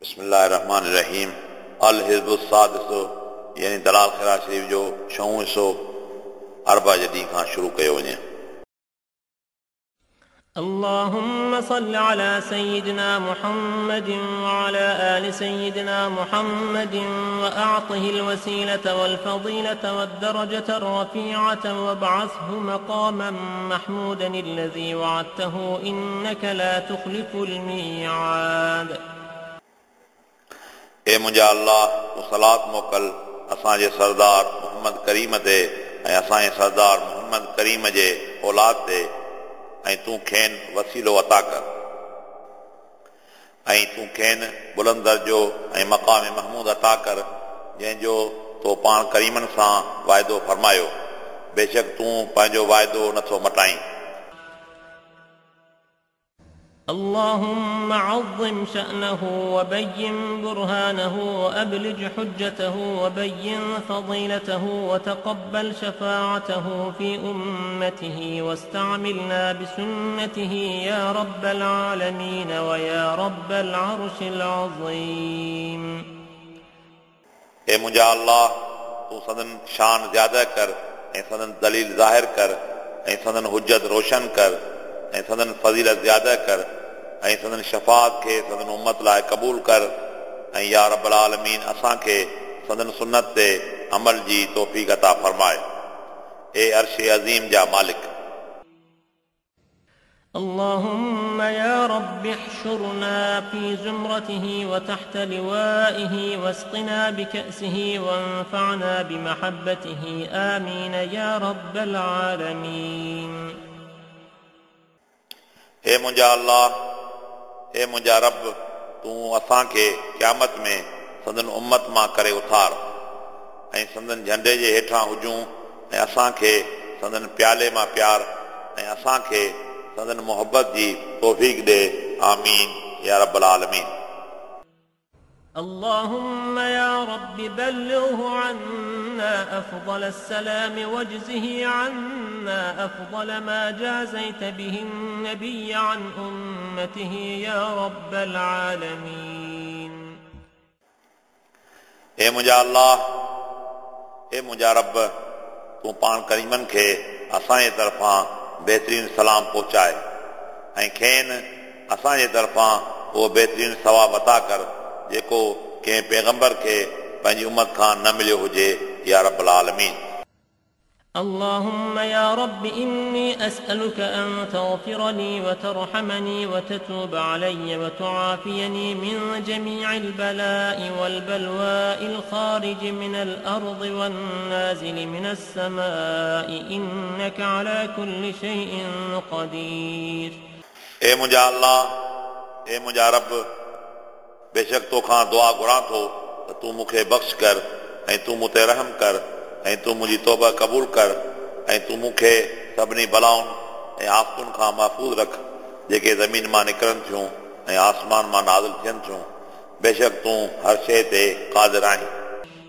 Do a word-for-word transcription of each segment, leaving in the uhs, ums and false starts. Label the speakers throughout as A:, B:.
A: بسم الله الرحمن الرحيم الحزب السادس यानी दलाल खैरा शरीफ जो छहों हिसो अरबा जे ॾींहं खां शुरू कयो वञे।
B: اللهم صل على سيدنا محمد وعلى آل سيدنا محمد وأعطه الوسيلة والفضيلة والدرجة الرفيعة وابعثه مقاما محمودا الذي وعدته إنك لا تخلف الميعاد.
A: ए मुंहिंजा अल्लाह, तूं सलात मोकल असांजे सरदार मोहम्मद करीम ते ऐं असांजे सरदार मोहम्मद करीम जे औलाद ते, ऐं तूं खेनि वसीलो अता कर ऐं तूं खेनि बुलंद दर्जो ऐं मक़ाम महमूद अता कर, जंहिंजो तो पाण करीमनि सां वाइदो फरमायो। बेशक तूं पंहिंजो वाइदो नथो मटाईं।
B: اللهم عظم شأنه وبين برهانه وأبلج حجته وبين فضيلته وتقبل شفاعته في أمته واستعملنا بسنته يا رب العالمين ويا رب العرش العظيم.
A: ए मुंहिंजा अल्लाह, तूं सदन शान ज़्यादा कर ऐं सदन दलील ज़ाहिर कर ऐं सदन हुजत रोशन कर ऐं सदन फज़ीलत ज़्यादा कर ऐं सदन शफ़ात खे सदन उम्मत लाइ क़बूल कर ऐं या रब्बुल आलमीन असांखे सदन सुन्नत ते अमल जी तौफ़ीक़ अता फरमाए। ए अर्श अज़ीम जा मालिक।
B: اللهم يا رب احشرنا في زمرته وتحت لوائه واسقنا بكأسه وانفعنا بمحبته آمين يا رب العالمين.
A: हे मुंहिंजा अल्लाह, हे मुंहिंजा रब, तूं असांखे क़यामत में संदन उम्मत मां करे उथार ऐं संदन झंडे जे हेठां हुजूं ऐं असांखे संदन प्याले मां प्यार ऐं असांखे संदन मोहबत जी तौफ़ीक़ ॾे। आमीन या रब्बुल आलमीन।
B: اللهم يا رب بلغه عنا أفضل السلام واجزه عنا أفضل ما جازيت به النبي عن أمته يا رب العالمين.
A: हे मुंहिंजा अल्लाह, हे मुंहिंजा रब, तूं पाण करीमनि खे असांजे तरफ़ां बहितरीन सलाम पहुचाए ऐं खेनि असांजे तरफ़ां उहो बहितरीन सवाब अता कर जेको कंहिं पैगंबर खे पंहिंजी उम्मत खां न मिलियो हुजे। या रब्बुल आलमीन।
B: اللهم يا رب إني أسألك أن تغفر لي وترحمني وتتوب علي وتعافيني من جميع البلاء والبلواء الخارج من الأرض والنازل من السماء إنك على كل شيء قدير.
A: ए मुंहिंजा अल्लाह, ए मुंहिंजा रब, बेशक तोखां दुआ घुरां थो त तूं मूंखे बख़्श कर ऐं तूं मूं ते रहम कर ऐं तूं मुंहिंजी तौबा क़बूल कर ऐं तूं मूंखे सभिनी बलाउनि ऐं आफ़तुनि खां महफ़ूज़ रख जेके ज़मीन मां निकिरनि थियूं ऐं आसमान मां नाज़िल थियनि थियूं। बेशक तूं हर शइ ते क़ादिर आहीं।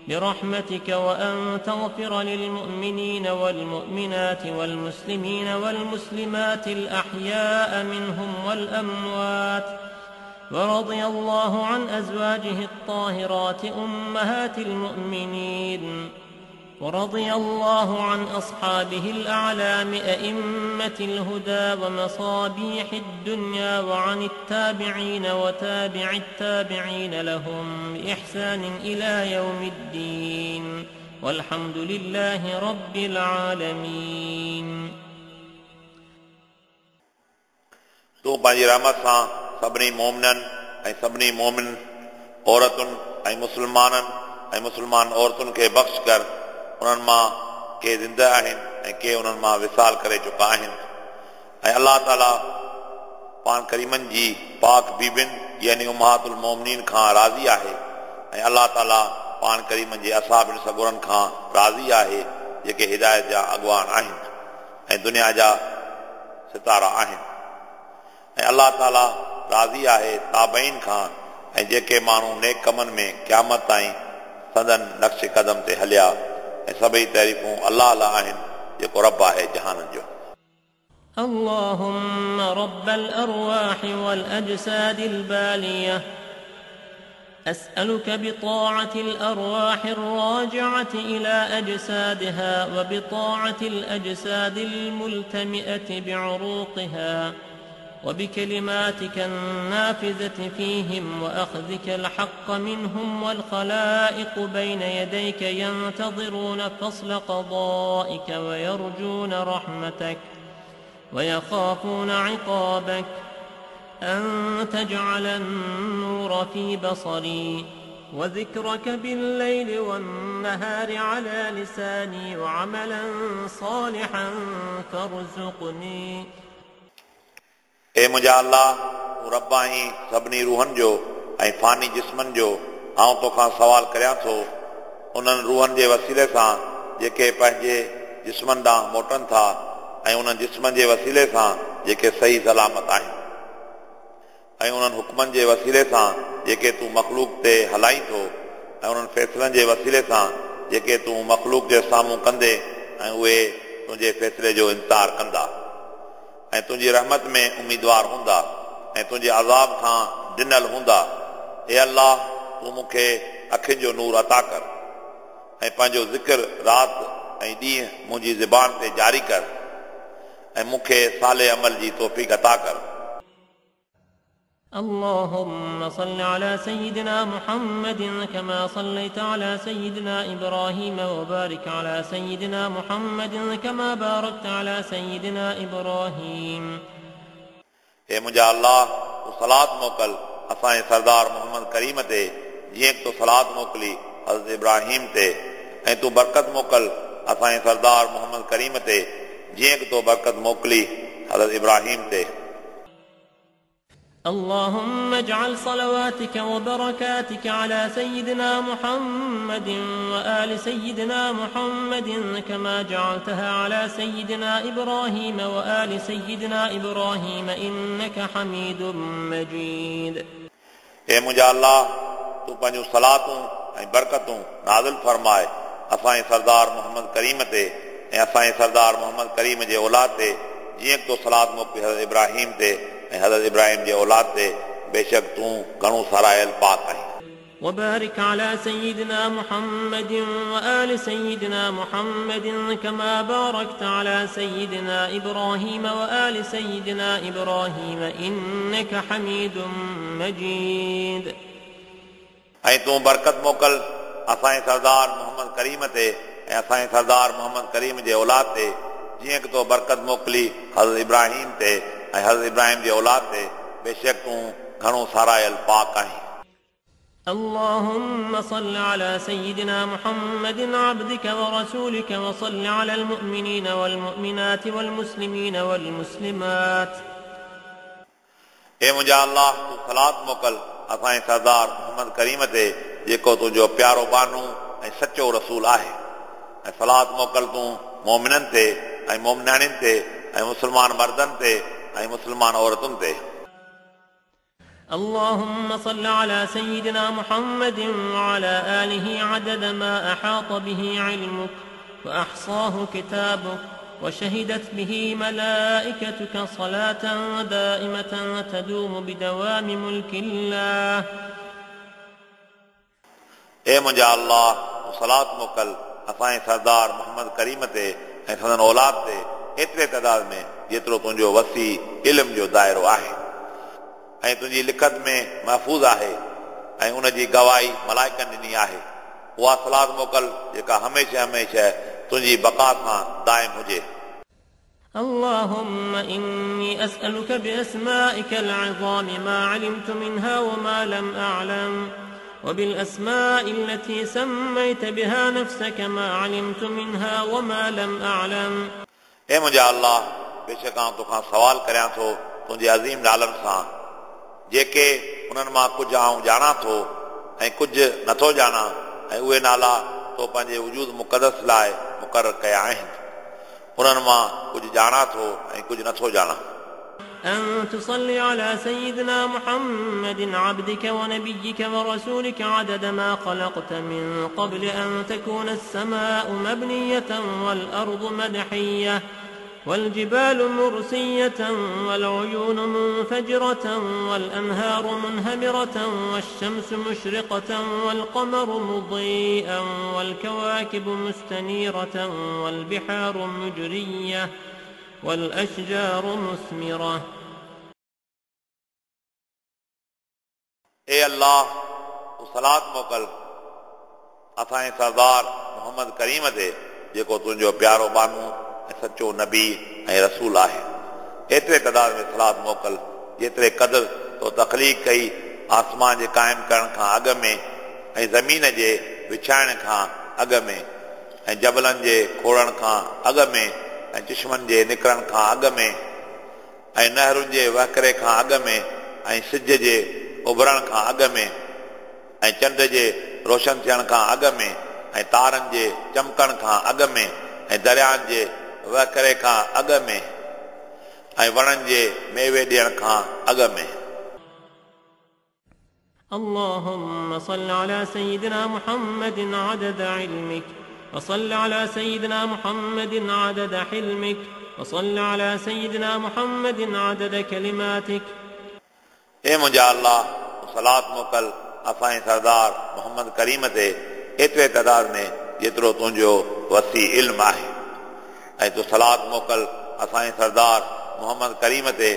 B: برحمتك وأن تغفر للمؤمنين والمؤمنات والمسلمين والمسلمات الأحياء منهم والأموات ورضي الله عن أزواجه الطاهرات أمهات المؤمنين ورضي الله عن أصحابه الأعلام أئمة الهدى ومصابيح الدنيا وعن التابعين وتابع التابعين لهم بإحسان إلى يوم الدين والحمد لله رب العالمين.
A: तूं पंहिंजी रहमत सां सभिनी मोमिननि ऐं सभिनी मोमिन औरतुनि ऐं मुस्लमाननि ऐं मुस्लमान औरतुनि खे बख़्श कर। उन्हनि मां के ज़िंदा आहिनि ऐं के उन्हनि मां विसाल करे चुका आहिनि। ऐं अल्लाह ताला पाण करीमनि जी पाक बीबियुनि यानी उम्महातुल मोमिनीन खां राज़ी आहे ऐं अल्लाह ताला पाण करीमनि जे असाबिन सगुरनि खां राज़ी आहे जेके हिदायत जा अॻवान आहिनि ऐं दुनिया जा सितारा आहिनि। ऐं अल्लाह ताला राज़ी आहे ताबईन खां ऐं जेके माण्हू नेक कमनि में क़यामत ताईं संदन नक्श कदम ते हलिया। ऐं सभई तारीफ़ूं अल्लाह लाइ आहिनि जेको रब आहे जहाननि जो।
B: اللهم رب الأرواح والأجساد البالية أسألك بطاعة الأرواح الراجعة إلى أجسادها وبطاعة الأجساد الملتمئة بعروقها وبكلماتك النافذة فيهم وأخذك الحق منهم والخلائق بين يديك ينتظرون فصل قضائك ويرجون رحمتك ويخافون عقابك أن تجعل النور في بصري وذكرك بالليل والنهار على لساني وعملا صالحا فارزقني.
A: ए मुंहिंजा अल्लाह, तूं रब आहीं सभिनी रूहनि जो ऐं फ़ानी जिस्मनि जो। आउं तोखां सवाल करियां थो उन्हनि रूहनि जे वसीले सां जेके पंहिंजे जिस्मनि ॾांहुं मोटनि था ऐं उन्हनि जिस्मनि जे वसीले सां जेके सही सलामत आहिनि ऐं उन्हनि हुकमनि जे वसीले सां जेके तूं मख़लूक ते हलाईं थो ऐं उन्हनि फ़ैसिलनि जे वसीले सां जेके तूं मख़लूक जे साम्हूं कंदे ऐं उहे तुंहिंजे फ़ैसिले जो इंतज़ार कंदा ऐं तुंहिंजी रहमत में उम्मीदवार हूंदा ऐं तुंहिंजे अज़ाब खां ॾिनल हूंदा। ए अल्लाह, तूं मूंखे अखियुनि जो नूर अता कर ऐं पंहिंजो ज़िक्र राति ऐं ॾींहुं मुंहिंजी ज़बान ते जारी कर ऐं मूंखे साले अमल जी तौफ़ीक़ अता कर।
B: اللهم صل على سيدنا محمد كما صليت على سيدنا إبراهيم وبارك على سيدنا محمد كما باركت على سيدنا إبراهيم.
A: ए मुंहिंजा अल्लाह, तूं सलात मोकल असांजे सरदार मोहम्मद करीम ते जीअं तूं सलात मोकिली हज़रत इब्राहिम ते ऐं तूं बरकत मोकल असांजे सरदार मोहम्मद करीम ते जीअं तूं बरकत मोकिली हज़रत इब्राहिम ते।
B: اللهم اجعل صلواتك وبركاتك على سيدنا محمد وآل سيدنا محمد كما جعلتها على سيدنا إبراهيم وآل سيدنا إبراهيم إنك حميد مجيد.
A: ए मुंहिंजा अल्लाह, तूं पंहिंजूं सलातूं ऐं बरकतूं नाज़िल फरमाए असांजे सरदार मोहम्मद करीम ते ऐं असांजे सरदार मोहम्मद करीम जे औलाद ते जीअं तूं सलात मोकिली हज़रत इब्राहिम ते ऐं हज़रत इब्राहिम जे औलाद ते, बेशक तूं घणो सरायल पाक आहीं।
B: وبارك على سيدنا محمد وآل سيدنا محمد كما باركت على سيدنا إبراهيم وآل سيدنا إبراهيم إنك حميد مجيد.
A: ऐं तूं बरकत मोकल असांजे सरदार मोहम्मद करीम ते ऐं असांजे सरदार मोहम्मद करीम जे औलाद ते जीअं की तो बरकत मोकिली हज़रत इब्राहिम ते ऐं हज़रत इब्राहिम जे औलाद ते, बेशक तूं घणो सरायल पाक आहीं।
B: اللهم صل على سيدنا محمد عبدك ورسولك وصل على المؤمنين والمؤمنات والمسلمين والمسلمات.
A: ए मुंहिंजा अल्लाह, तूं सलात मोकल असांजे सरदार मोहम्मद करीम ते जेको तुंहिंजो प्यारो बानू ऐं सचो रसूल आहे ऐं सलात मोकल तूं मोमिननि ते ऐं मोमिनाणियुनि ते ऐं मुस्लमान मर्दनि ते ऐं मुस्लमान औरतुनि ते।
B: اللهم صل على سيدنا محمد وعلى آله عدد ما أحاط به علمك وأحصاه كتابك وشهدت به ملائكتك صلاة دائمة تدوم بدوام ملك الله.
A: ए मुंहिंजा अल्लाह, तूं सलात मोकल असांजे सरदार मोहम्मद करीम ते ऐं संदन औलाद ते एतिरे तादाद में जेतिरो तुंहिंजो वसी इल्म जो दायरो आहे ऐं तुंहिंजी लिखत में महफ़ूज़ आहे ऐं उन जी गवाही मलाइकनि ॾिनी आहे। उहा सलात मोकल जेका हमेशह हमेशह तुंहिंजी बक़ा सां दाइम हुजे।
B: اللهم إني أسألك بأسمائك العظام ما علمت منها وما لم أعلم وبالأسماء التي سميت بها نفسك ما علمت منها وما لم أعلم.
A: ए मुंहिंजा अल्लाह, बेशक आउं तोखां सवाल करियां थो तुंहिंजे अज़ीम नालनि सां जेके उन्हनि मां कुझु आउं ॼाणां थो ऐं कुझु नथो ॼाणां ऐं उहे नाला तो पंहिंजे वजूद मुक़दस लाइ मुक़ररु कया आहिनि, उन्हनि मां कुझु ॼाणां थो ऐं कुझु नथो ॼाणां।
B: أن تصلي على سيدنا محمد عبدك ونبيك ورسولك عدد ما خلقت من قبل أن تكون السماء مبنية والأرض مدحية والجبال مرسية والعيون منفجرة والأنهار منهمرة والشمس مشرقة والقمر مضيئا والكواكب مستنيرة والبحار مجرية والأشجار مثمرة.
A: ए अल्लाह, तूं सलात मोकल असांजे सरदार मोहम्मद करीम ते, जेको तुंहिंजो प्यारो बानू ऐं सचो नबी ऐं रसूल आहे। एतिरे तादाद में सलात मोकल जेतिरे क़दुरु तो तख़लीक़ कई आसमान जे क़ाइमु करण खां अॻु में ऐं ज़मीन जे विछाइण खां अॻु में ऐं जबलनि जे खोड़ण खां अॻु में ऐं चश्मनि जे निकिरण खां अॻु में ऐं नहरुनि जे वहकरे खां अॻु में ऐं सिज जे उभरण खां अॻु में ऐं चंड जे रोशन थियण खां अॻु में ऐं तारनि जे चमकण खां अॻु में ऐं दरियानि जे वहकरे खां अॻु में ऐं वणनि जे मेवे ॾियण खां अॻु में।
B: اللهم صل على سيدنا محمد عدد علمك، وصل على سيدنا محمد عدد حلمك، وصل على سيدنا محمد عدد كلماتك.
A: ए मुंहिंजा अल्लाह, सलात मोकल असांजे सरदार मोहम्मद करीम ते एतिरे तादाद में जेतिरो तुंहिंजो वसी इल्मु आहे, ऐं तूं सलात मोकल असांजे सरदार मोहम्मद करीम ते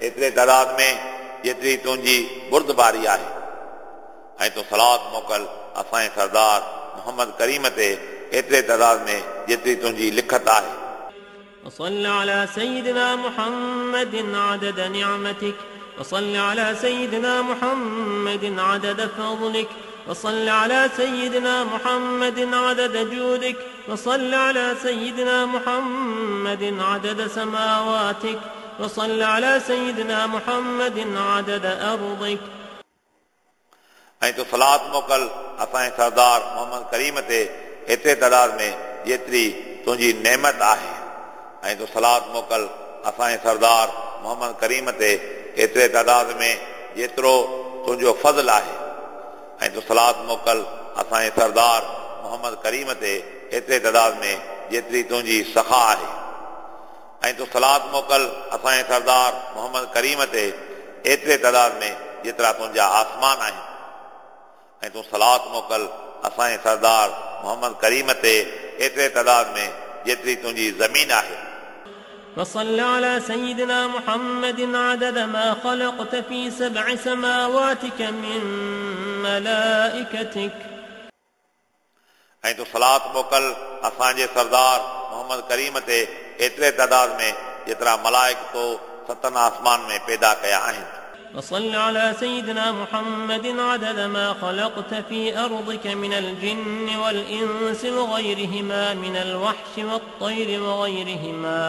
A: एतिरे तादाद में जेतिरी तुंहिंजी बुर्दबारी आहे, ऐं तूं सलात मोकल असांजे सरदार मोहम्मद करीम ते एतिरे तादाद में जेतिरी तुंहिंजी लिखत आहे।
B: وصل على سيدنا محمد عدد نعمتك، وصل على سيدنا محمد عدد فضلك، وصل على سيدنا محمد عدد جودك، وصل على سيدنا محمد عدد سماواتك، وصل على سيدنا محمد عدد أرضك.
A: ऐं तूं सलात मोकल असांजे सरदार मोहम्मद करीम ते एतिरे तादाद में जेतिरी तुंहिंजी नेमत आहे, ऐं तूं सलात मोकल असांजे सरदार मोहम्मद करीम ते एतिरे तादाद में जेतिरो तुंहिंजो फज़ल आहे, ऐं तूं सलात मोकल असांजे सरदार मोहम्मद करीम ते एतिरे तादाद में जेतिरी तुंहिंजी सखा आहे, ऐं तूं सलात मोकल असांजे सरदार मोहम्मद करीम ते एतिरे तादाद में जेतिरा तुंहिंजा आसमान आहिनि, ऐं तूं सलात मोकल असांजे सरदार मोहम्मद करीम ते एतिरे तादाद में जेतिरी तुंहिंजी ज़मीन आहे।
B: وصل على سيدنا محمد عدد ما خلقت في سبع سماواتك من ملائكتك.
A: ऐं तूं सलात मोकल असांजे सरदार मोहम्मद करीम ते एतिरे तादाद में जेतिरा मलाइक तो सतनि आसमान में पैदा कया आहिनि।
B: وصل على سيدنا محمد عدد ما خلقت في أرضك من الجن والإنس وغيرهما من الوحش والطير وغيرهما.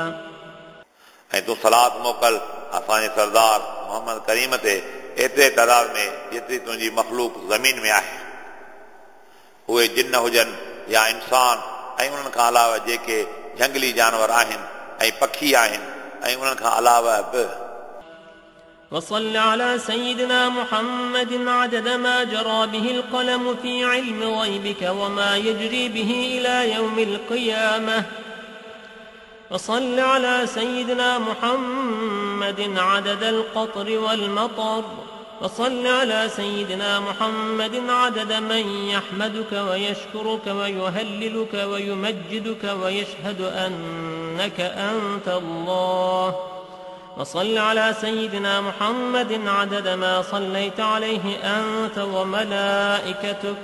A: ऐं तूं सलात मोकल असांजे सरदार मोहम्मद करीम ते एतिरे तादाद में जेतिरी तुंहिंजी मख़लूक ज़मीन में आहे, उहे जिन हुजनि या इंसान, ऐं उन्हनि खां अलावा जेके जंगली जानवर आहिनि ऐं पखी आहिनि, ऐं उन्हनि खां अलावा बि।
B: وصل على سيدنا محمد عدد ما جرى به القلم في علم غيبك وما يجري به إلى يوم القيامة. وصل على سيدنا محمد عدد القطر والمطر. وصل على سيدنا محمد عدد من يحمدك ويشكرك ويهللك ويمجدك ويشهد أنك أنت الله. وصل على سيدنا محمد عدد ما صليت عليه أنت وملائكتك.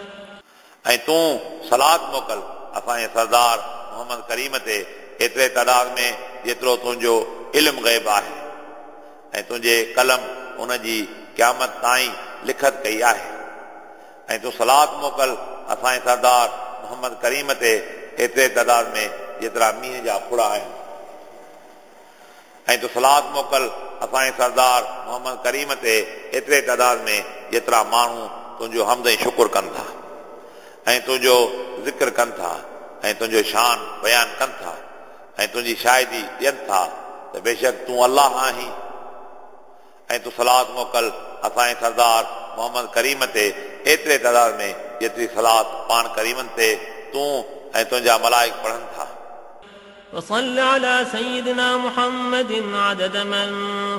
A: ऐं तूं सलात मोकल असांजे सरदार मोहम्मद करीम ते एतिरे तादाद में जेतिरो तुंहिंजो इल्मु ग़ैब आहे, ऐं तुंहिंजे कलम उनजी क़यामत ताईं लिखत कई आहे, ऐं तूं सलात मोकल असांजे सरदार मोहम्मद करीम ते एतिरे तादाद में जेतिरा मींहं जा फुड़ा आहिनि, ऐं तूं सलात मोकल असांजे सरदार मोहम्मद करीम ते एतिरे तादाद में जेतिरा माण्हू तुंहिंजो हम्द ऐं शुक्र कनि था, ऐं तुंहिंजो ज़िक्र कनि था, ऐं तुंहिंजो शान बयानु कनि था, ऐं तुंहिंजी शाहिदी ॾियनि था त बेशक तूं अल्लाह आहीं। ऐं तूं सलात मोकल असांजे सरदार मोहम्मद करीम ते एतिरे तादाद में जेतिरी सलात पाण करीमनि ते तूं ऐं तुंहिंजा मलाइक पढ़नि था।
B: وصل على سيدنا محمد عدد من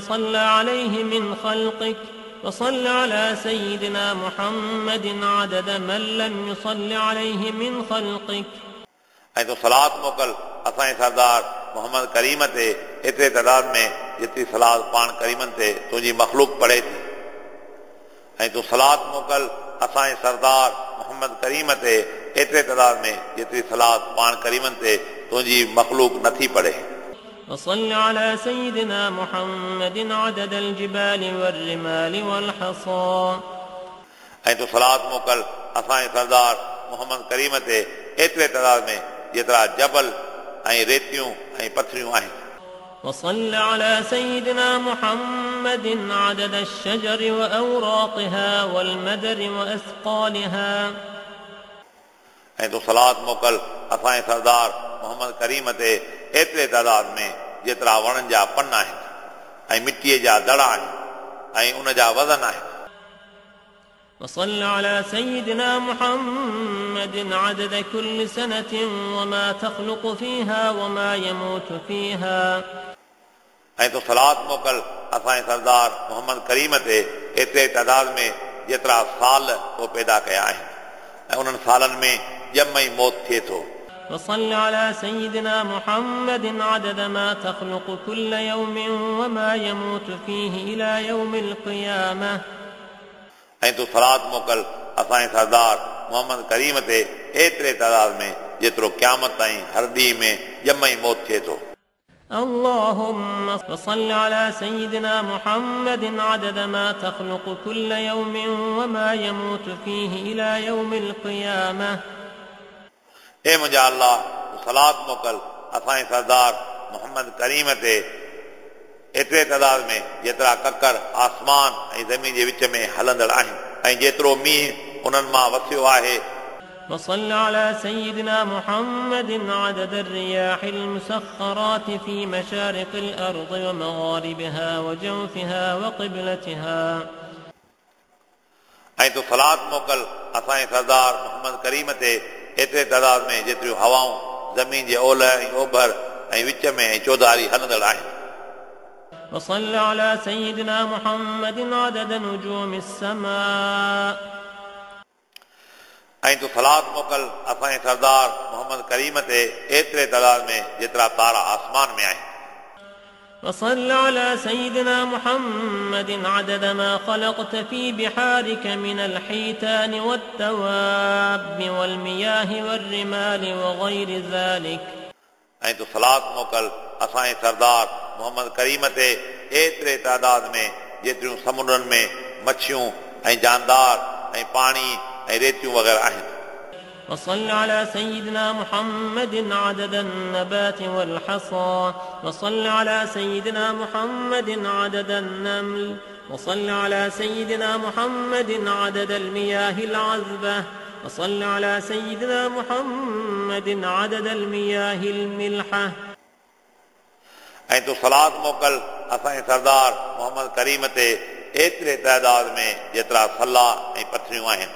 B: صلى عليه من خلقك، وصل على سيدنا محمد عدد من لم يصل عليه من خلقك.
A: ऐं तूं सलात मोकिल असांजे सरदार मोहम्मद करीम ते एतिरे तादाद में जेतिरी सलात पाण करीमनि ते तुंहिंजी मख़लूक पढ़े थी। ऐं तूं सलात मोकिल असांजे सरदार मोहम्मद करीम ते एतिरे तादाद में जेतिरी सलात पाण करीमनि ते तुंहिंजी मख़लूक नथी पढ़े।
B: وصل على سيدنا محمد عدد الجبال والرمال والحصى.
A: ऐं तूं सलात मोकिल असांजे सरदार मोहम्मद करीम ते एतिरे तादाद में जेतिरा जबल ऐं रेतियूं ऐं पथरियूं आहिनि।
B: وصل على سيدنا محمد عدد الشجر وأوراقها والمدر وأثقالها.
A: ऐं तूं सलात मोकिल असांजे सरदार मोहम्मद करीम ते एतिरे तादाद में जेतिरा वणनि जा पन आहिनि ऐं मिटीअ जा दड़ा आहिनि ऐं उन जा वज़न आहिनि।
B: وصل على سيدنا محمد عدد كل سنة وما تخلق فيها وما يموت فيها.
A: ऐं तूं सलात मोकिल असांजे सरदार मोहम्मद करीम ते एतिरे तादाद में जेतिरा साल तो पैदा कया आहिनि ऐं उन्हनि सालनि में ॼम ऐं मौत थिए थो।
B: وصل على سيدنا محمد عدد ما تخلق كل يوم وما يموت فيه إلى يوم القيامة.
A: ऐं तूं सलात मोकिल असांजे सरदार मोहम्मद करीम ते एतिरे तादाद में जेतिरो क़यामत ताईं हर ॾींहं में ॼम ऐं मौत थिए थो।
B: اللهم صل على سيدنا محمد عدد ما تخلق كل يوم وما يموت فيه إلى يوم القيامة.
A: ए मुंहिंजा अल्लाह, तूं सलात मोकिल असांजे सरदार मोहम्मद करीम ते एतिरे तादाद में जेतिरा ककर आसमान ऐं ज़मीन जे विच में हलंदड़ आहिनि ऐं जेतिरो मींहुं उन्हनि मां वसियो आहे।
B: وصل على سيدنا محمد عدد الرياح المسخرات في مشارق الأرض ومغاربها وجوفها وقبلتها.
A: ऐं तूं सलात मोकिल असांजे सरदार मोहम्मद करीम ते एतिरे तादाद में जेतिरियूं हवाऊं ज़मीन जे ओलह ऐं ओभर ऐं विच में ऐं चौधारी हलंदड़ आहिनि।
B: وصل على سيدنا محمد عدد نجوم السماء.
A: ऐं तूं सलात मोकिल असांजे सरदार मोहम्मद करीम ते एतिरे तादाद में जेतिरा तारा आसमान में आहिनि।
B: وصل على سيدنا محمد عدد ما خلقت في بحارك من الحيتان والدواب والمياه والرمال وغير ذلك.
A: ऐं तूं सलात मोकिल असांजे सरदार मोहम्मद करीम ते एतिरे तादाद में जेतिरियूं समुंडनि में मच्छियूं ऐं जानदार ऐं पाणी ऐं रेतियूं वग़ैरह आहिनि।
B: وصل على سيدنا محمد عدد النبات والحصى. وصل على سيدنا محمد عدد النمل. وصل على سيدنا محمد عدد المياه العذبة. وصل على سيدنا محمد عدد المياه الملحة.
A: ऐं तूं सलात मोकिल असांजे सरदार मोहम्मद करीम ते एतिरे तादाद में जेतिरा सला ऐं पथरियूं आहिनि।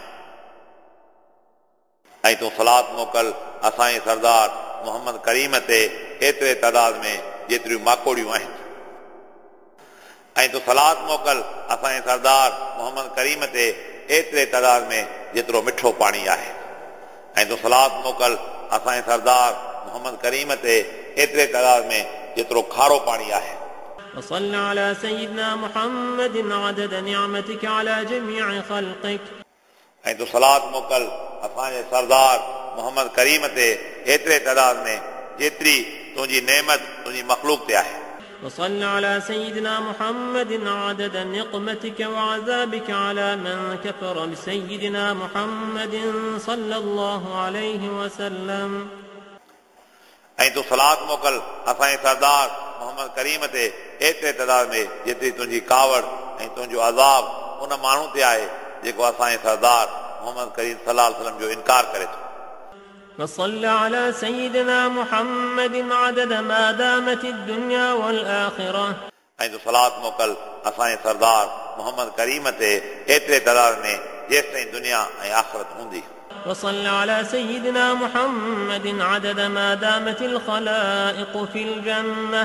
A: ऐं तूं सलात मोकिल असांजे सरदार मोहम्मद करीम ते एतिरे तादाद में जेतिरियूं माकोड़ियूं आहिनि। ऐं तूं सलात मोकिल असांजे सरदार मोहम्मद करीम ते एतिरे तादाद में जेतिरो मिठो पाणी आहे। ऐं तूं सलात मोकिल असांजे सरदार मोहम्मद करीम ते एतिरे तादाद में जेतिरो खारो पाणी आहे।
B: وصل على سيدنا محمد عدد نعمتك على جميع خلقك.
A: ऐं तूं सलात मोकिल असांजे सरदार मोहम्मद करीम ते एतिरे तादाद में जेतिरी तुंहिंजी नेमत तुंहिंजी मख़लूक ते आहे।
B: وصل على سيدنا محمد عدد نقمتك وعذابك على من كفر بسيدنا محمد صلى الله عليه وسلم.
A: ऐं तूं सलात मोकिल असांजे सरदार मोहम्मद करीम ते एतिरे तादाद में जेतिरी तुंहिंजी कावड़ ऐं तुंहिंजो अज़ाब उन माण्हू ते आहे जेको असांजे सरदार मोहम्मद करीम सल्लल्लाहु अलैहि वसल्लम जो इनकार करे थो।
B: وصل على سيدنا محمد عدد ما دامت الدنيا والآخرة.
A: ऐं तूं सलात मोकिल असांजे सरदार मोहम्मद करीम ते एतिरे तादाद में जेसिताईं दुनिया ऐं आख़िरत हूंदी।
B: وصل على سيدنا محمد عدد ما دامت الخلائق في الجنة.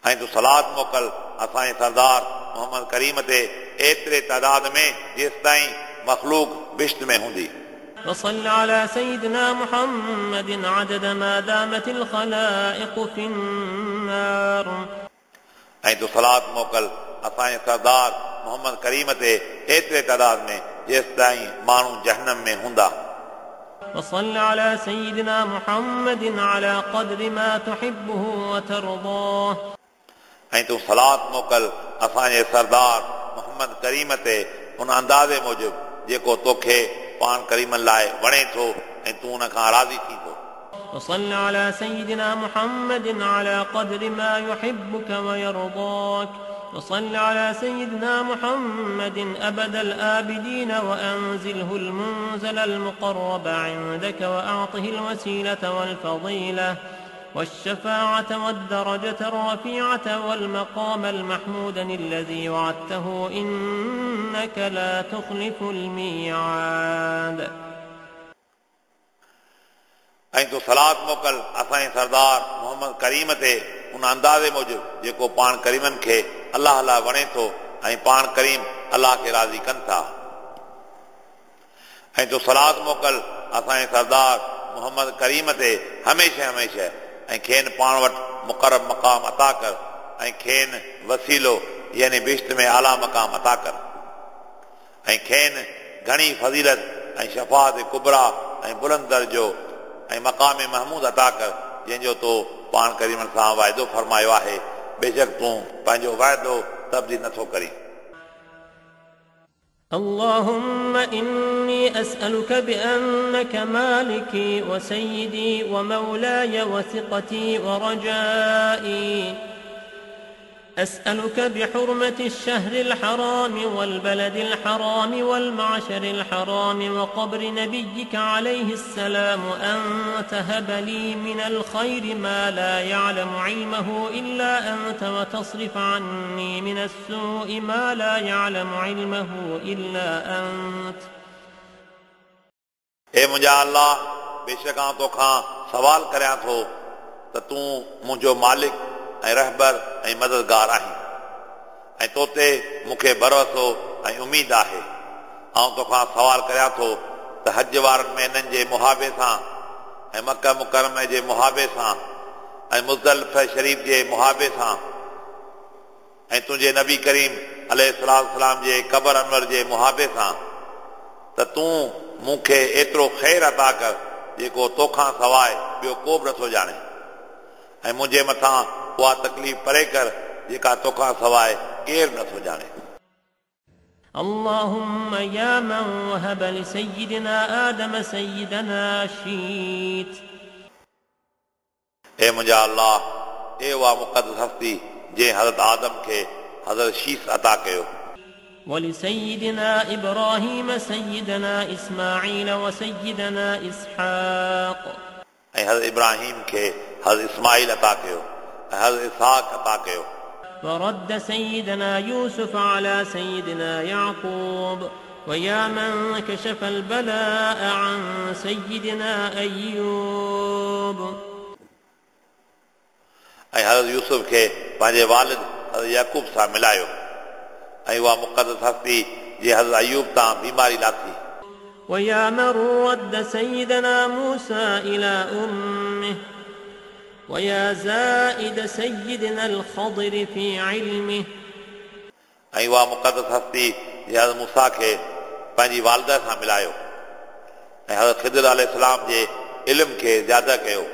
A: ऐं तूं सलात मोकल असांजे सरदार मोहम्मद करीम ते एतिरे तादाद में जेसिताईं मख़लूक बिश्त में हूंदी।
B: وصل على سيدنا محمد عدد ما دامت الخلائق في النار.
A: ऐं तूं सलात मोकल असांजे सरदार मोहम्मद करीम ते एतिरे तादाद में जेसिताईं माण्हू जहन्नम में हूंदा।
B: وصل على سيدنا محمد على قدر ما تحبه وترضاه.
A: ऐं तूं सलात मोकल असांजे सरदार मोहम्मद करीम ते उन अंदाज़े मूजिबि जेको तोखे पाण करीमनि लाइ वणे थो ऐं तूं उन खां राज़ी थी थो।
B: وصل على سيدنا محمد على قدر ما يحبك ويرضاك. وصل على سيدنا محمد أبد الآبدين وأنزله المنزل المقرب عندك وأعطه الوسيلة والفضيلة والشفاعة والدرجة الرفيعة والمقام المحمود الذي وعدته إنك لا تخلف الميعاد.
A: ऐं तूं सलात मोकल असांजे सरदार मोहम्मद करीम ते उन अंदाज़े मूजिबि जेको पाण करीमनि खे अलाह लाइ वणे थो ऐं पाण करीम अलाह खे राज़ी कनि था। ऐं तूं सलात मोकल असांजे सरदार मोहम्मद करीम ते हमेशह हमेशह ऐं खेनि पाण वटि मुक़रब मक़ाम अता कर ऐं खेनि वसीलो यानी बिश्त में आला मक़ाम अता कर ऐं खेनि घणी फ़ज़ीलत ऐं शफ़ात कुबरा ऐं बुलंद दर्जो ऐं मक़ाम महमूद अता कर जंहिंजो तो पाण करीमनि सां वाइदो फरमायो आहे। बेशक तूं पंहिंजो वाइदो तब्दील नथो करीं।
B: اللهم إني أسألك بأنك مالكي وسيدي ومولاي وثقتي ورجائي. أسألك بحرمة الشهر الحرام والبلد الحرام والمعشر الحرام وقبر نبيك عليه السلام أن تهب لي من الخير ما لا يعلم علمه إلا أنت وتصرف عني من السوء ما لا يعلم علمه إلا أنت.
A: ए मुंहिंजा अल्लाह, बेशक आउं तोखां सवाल करियां थो त तूं मुंहिंजो मालिक ऐं रहबर ऐं मददगार आहीं ऐं तो ते मूंखे भरोसो ऐं उमेद आहे। आउं तोखां सवाल करियां थो त हज वारनि महीननि जे मुहाबे सां ऐं मक्का मुकर्रम जे मुहाबे सां ऐं मुज़दलिफ़ा शरीफ जे मुहाबे सां ऐं तुंहिंजे नबी करीम अलैहिस्सलाम जे क़बर अनवर जे मुहाबे सां त तूं मूंखे एतिरो ख़ैर अता कर जेको तोखां सवाइ ॿियो को बि नथो ॼाणे ऐं मुंहिंजे मथां उहा तकलीफ़ परे कर जेका तोखां सवाइ केरु नथो ॼाणे।
B: اللهم يا من وهب لسيدنا آدم سيدنا شيت.
A: ए मुंहिंजा अल्लाह, ए उहा मुक़दस हस्ती जंहिं हज़रत आदम खे हज़रत शीस अता कयो।
B: ولسيدنا إبراهيم سيدنا إسماعيل وسيدنا إسحاق.
A: ऐं हज़रत इब्राहिम खे हज़रत इस्माइल अता कयो ऐं हज़रत इसहाक अता कयो।
B: ورد سيدنا يوسف على سيدنا يعقوب. ويا من كشف البلاء عن سيدنا أيوب.
A: ऐं हज़रत यूसुफ खे पंहिंजे वालिद हज़रत याकूब सां मिलायो ऐं उहा मुक़दस हस्ती जे हज़रत अयूब तां बीमारी लाथी।
B: ويا من رد سيدنا موسى إلى أمه. ويا زائد سيدنا الخضر في علمه.
A: ऐं उहा मुक़दस हस्ती जे हज़रत मूसा खे पंहिंजी वालिदा सां मिलायो ऐं हज़रत खिदर अलैहिस्सलाम जे इल्म खे ज़्यादा कयो।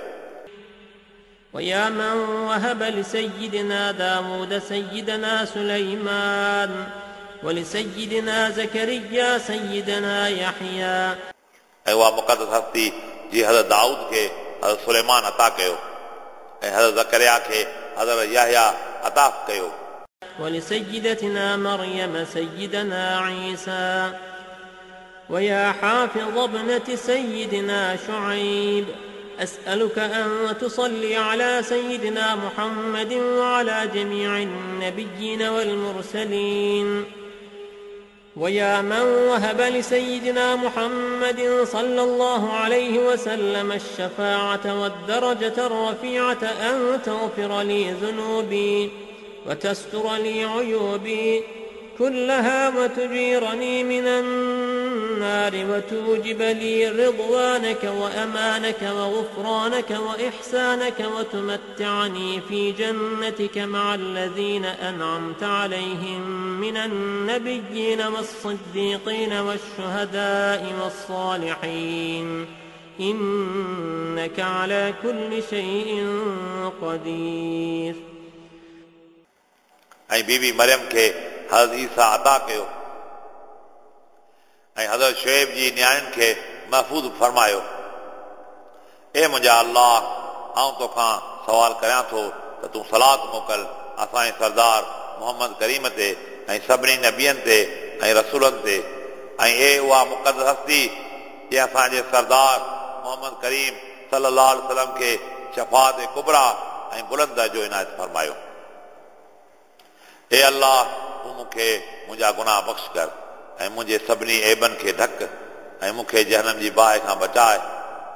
B: ويا من وهب لسيدنا داود سيدنا سليمان ولسيدنا زكريا سيدنا يحيى.
A: ऐं उहा मुक़दस हस्ती जे हज़रत दाऊद खे हज़रत सुलेमान अता कयो ऐं हज़रत ज़करिया खे हज़रत याह्या अता कयो।
B: ولسيدتنا مريم سيدنا عيسى. ويا حافظ ابنة سيدنا شعيب أسألك أن تصلي على سيدنا محمد وعلى جميع النبيين والمرسلين. ويا من وهب لسيدنا محمد صلى الله عليه وسلم الشفاعة والدرجة الرفيعة أن تغفر لي ذنوبي وتستر لي عيوبي كلها وتجيرني من النار وتوجب لي رضوانك وأمانك وغفرانك وإحسانك وتمتعني في جنتك مع الذين أنعمت عليهم من النبيين والصديقين والشهداء والصالحين إنك على كل شيء قدير.
A: ऐं बीबी मरियम खे हज़रत ईसा अता कयो ऐं हज़रत शुएब जी नियाणियुनि खे महफ़ूज़ फरमायो। ए मुंहिंजा अल्लाह, आउं तोखां सवाल करियां थो त तूं सलात मोकल असांजे सरदार मोहम्मद करीम ते ऐं सभिनी नबियनि ते ऐं रसूलनि ते, ऐं ए उहा मुक़दस हस्ती जंहिं असांजे सरदार मोहम्मद करीम सल्लल्लाहु अलैहि वसल्लम खे शफ़ात कुबरा ऐं बुलंद दर्जो इनायत फरमायो। ए अल्लाह, तूं मूंखे मुंहिंजा गुनाह बख़्श कर ऐं मुंहिंजे सभिनी ऐबनि खे ढक ऐं मूंखे जहनम जी बाहि खां बचाए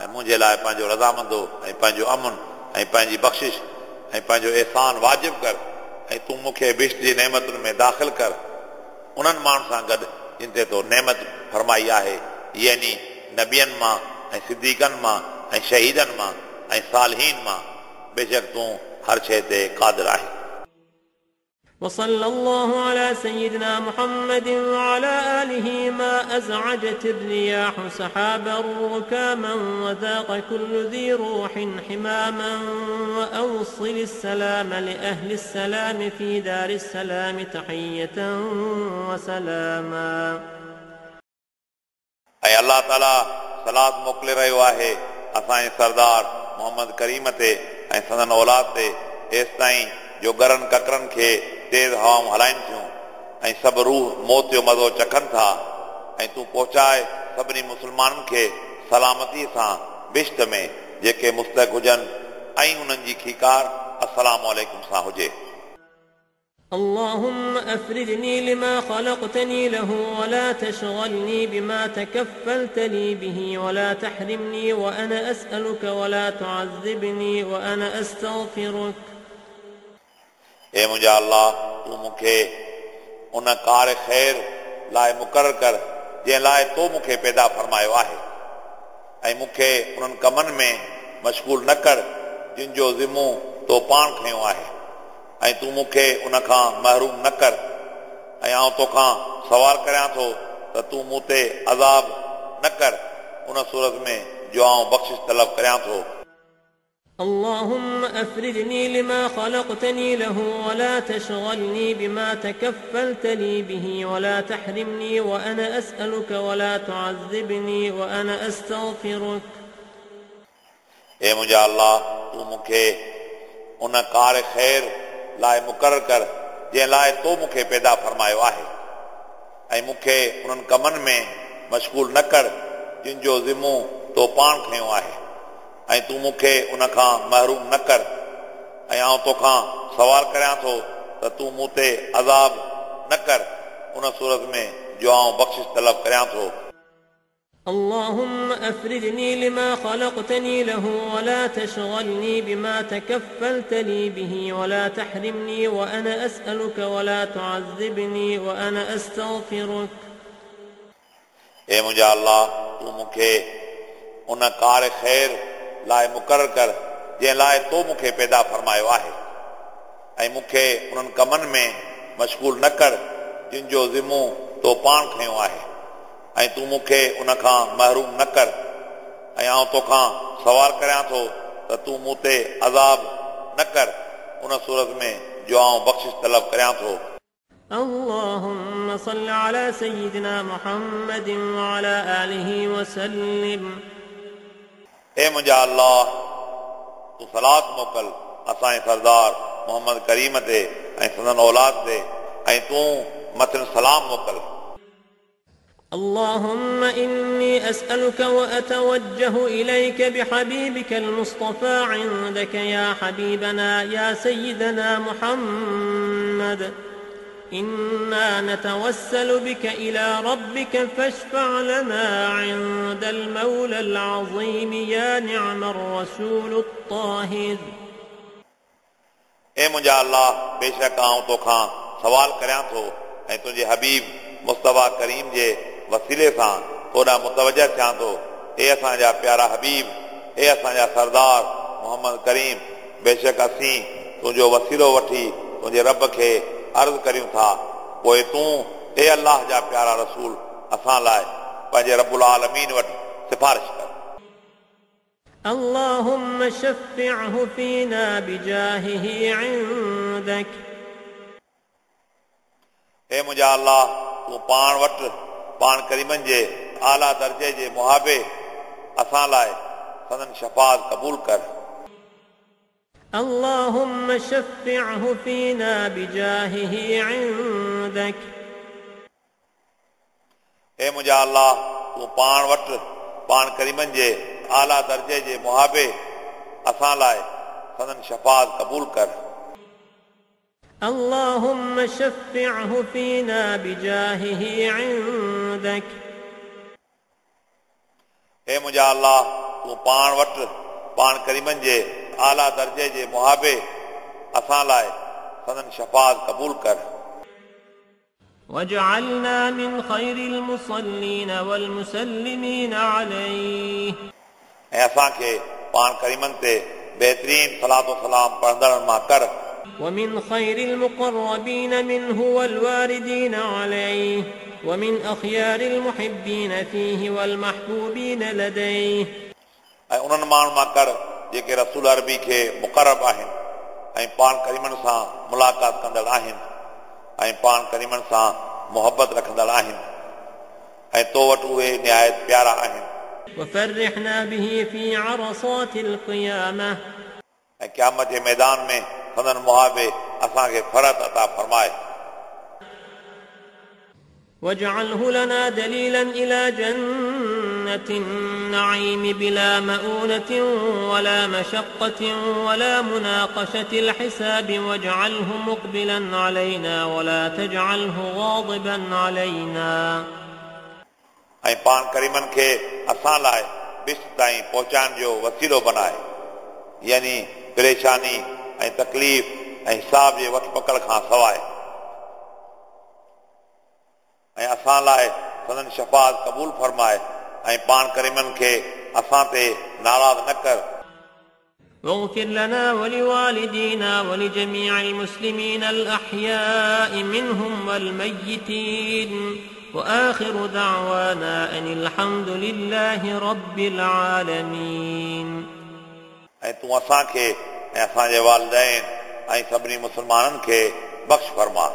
A: ऐं मुंहिंजे लाइ पंहिंजो रज़ामंदो ऐं पंहिंजो अमन ऐं पंहिंजी बख़्शिश ऐं पंहिंजो एहसान वाजिब कर ऐं तूं मूंखे बिश्त जी नेमतुनि में दाख़िल कर उन्हनि माण्हुनि सां गॾु जिन ते तो नेमत फरमाई आहे, यानी नबियनि मां ऐं सिद्दीक़नि मां ऐं शहीदनि मां ऐं सालहीन मां। बेशक तूं हर शइ ते क़ादिर आहीं।
B: وصلى الله على سيدنا محمد وعلى آله ما أزعجت الرياح سحابا ركاما وذاق كل ذي روح حماما وأوصل السلام لأهل السلام في دار السلام تحية وسلاما.
A: ऐं अल्लाह ताला सलात मोकिले रहियो आहे असांजे सरदार मोहम्मद करीम ते ऐं संदन औलाद ते, एसि ताईं जो गरनि ककरनि खे तेज़ हवाऊं हलाइनि थियूं ऐं सभु रूह मौत जो मज़ो चखनि था, ऐं तूं पहुचाए सभिनी मुस्लमाननि खे सलामतीअ सां बिश्त में जेके मुस्तक हुजनि ऐं उन्हनि जी खीकार अस्सलामु अलैकुम सां हुजे।
B: اللهم أفرغني لما خلقتني له ولا تشغلني بما تكفلت لي به ولا تحرمني وأنا أسألك ولا تعذبني وأنا أستغفرك.
A: ए मुंहिंजा अल्लाह, तूं मूंखे उन कार ख़ैर लाइ मुक़ररु कर जंहिं लाइ तो मूंखे पैदा फरमायो आहे, ऐं मूंखे उन्हनि कमनि में मशगूल न कर जिन जो ज़िमो तो पाण खयो आहे, ऐं तूं मूंखे उन खां महरूम न कर, ऐं आउं तोखां सवाल करियां थो त तूं मूं ते अज़ाब न कर उन सूरत में जो आउं बख़्शिश तलब करियां थो।
B: اللهم أفرغني لما خلقتني له ولا تشغلني بما تكفلت لي به ولا تحرمني وأنا أسألك ولا تعذبني وأنا أستغفرك.
A: ए मुंहिंजा अल्लाह, तूं मूंखे उन कार ख़ैर लाइ मुक़ररु कर जंहिं लाइ तो मूंखे पैदा फरमायो आहे, ऐं मूंखे उन्हनि कमनि में मशगूल न कर जिन जो ज़िमो तो पाण खयो आहे, ऐं तूं मूंखे उन खां महरूम न कर, ऐं आउं तोखां सवाल करियां थो त तूं मूं ते अज़ाब न कर उन सूरत में जो आउं बख़्शिश तलब करियां थो।
B: اللهم أفرغني لما خلقتني له ولا تشغلني بما تكفلت لي به ولا تحرمني وأنا أسألك ولا تعذبني وأنا أستغفرك.
A: ए मुंहिंजा अल्लाह, तूं मूंखे उन कार ख़ैर लाइ मुक़ररु कर जंहिं लाइ तो मूंखे पैदा फरमायो आहे, ऐं मूंखे उन्हनि कमनि में मशगूल न कर जिन जो ज़िमो तो पाण खयो आहे, ऐं तूं मूंखे उन खां महरूम न कर, ऐं आउं तोखां सवाल करियां थो त तूं मूं ते अज़ाब न कर उन सूरत में जो आउं बख़्शिश तलब करियां थो।
B: اللهم صل على سيدنا محمد وعلى آله وسلم.
A: ए मुंहिंजा अल्लाह, तूं सलात मोकल असांजे सरदार मोहम्मद करीम ते ऐं संदन औलाद ते, ऐं तूं मथनि सलाम मोकल।
B: اللهم إني أسألك وأتوجه إليك بحبيبك المصطفى عندك يا حبيبنا يا سيدنا محمد إنا نتوسل بك إلى ربك فاشفع لنا عند المولى العظيم يا نعم الرسول الطاهر.
A: ए मुंहिंजा अल्लाह, बेशक आउं तोखां सवाल करियां थो ऐं तुंहिंजे हबीब मुस्तफ़ा करीम जे वसीले सां तोॾां मुतवजह थियां थो। ए असांजा प्यारा हबीब, ए असांजा सरदार मोहम्मद करीम, बेशक असीं तुंहिंजो वसीलो वठी तुंहिंजे रब खे अर्ज़ करियूं था, पोइ तूं ए अल्लाह जा प्यारा रसूल असां लाइ पंहिंजे रबुल आलमीन वटि सिफारिश कर।
B: اللهم شفعه فينا بجاهه عندك.
A: ए मुंहिंजा अल्लाह, तूं पाण वटि पाण करीमनि जे आला दर्जे जे मुहाबे असां लाइ संदन शफ़ाअत क़बूल कर।
B: اللهم شفعه فينا بجاهه عندك.
A: ए मुंहिंजा अल्लाह, तूं पाण वटि पाण करीमनि जे आला दर्जे जे मुहाबे असां लाइ संदन शफ़ाअत क़बूल कर।
B: اللهم شفعه فينا بجاهه عندك.
A: ए मुंहिंजा अल्लाह, तूं पाण वटि पाण करीमनि जे आला दर्जे जे मुहाबे असां लाइ संदन शफ़ाअत क़बूल कर।
B: واجعلنا من خير المصلين والمسلمين عليه.
A: ऐं असांखे पाण करीमनि ते बहितरीन सलात सलाम पढ़ंदड़नि मां कर।
B: ومن خير المقربين منه والواردين عليه ومن أخيار المحبين فيه والمحبوبين لديه.
A: ऐं उन्हनि माण्हुनि मां कर जेके रसूल अरबी खे मुक़रब आहिनि ऐं पाण करीमनि सां मुलाक़ात कंदड़ आहिनि ऐं पाण करीमनि सां मुहबत रखंदड़ आहिनि ऐं तो वटि उहे निहायत प्यारा आहिनि।
B: وفرحنا به في عرصات القيامة.
A: ऐं क़यामत जे मैदान में संदन मुहाबे असांखे फरत अता फरमाए।
B: واجعله لنا دليلا إلى جنة النعيم بلا مؤونة ولا مشقة ولا مناقشة الحساب واجعله مقبلا علينا ولا تجعله غاضبا علينا.
A: ऐं पाण करीमनि खे असां लाइ बिश्त ताईं पहुचाइण जो वसीलो बनाए, यानी परेशानी ऐं तकलीफ़ ऐं हिसाब जे वठ पकड़ खां सवाइ, ऐं असां लाइ संदन शफ़ाअत क़बूल फरमाए ऐं पाण करीमनि खे असां ते नाराज़ न कर।
B: واغفر لنا ولوالدينا ولجميع المسلمين الأحياء منهم والميتين وآخر دعوانا أن الحمد لله رب العالمين.
A: ऐं तूं असांखे ऐं असांजे वालिदैन ऐं सभिनी मुसलमाननि खे बख़्श फरमा,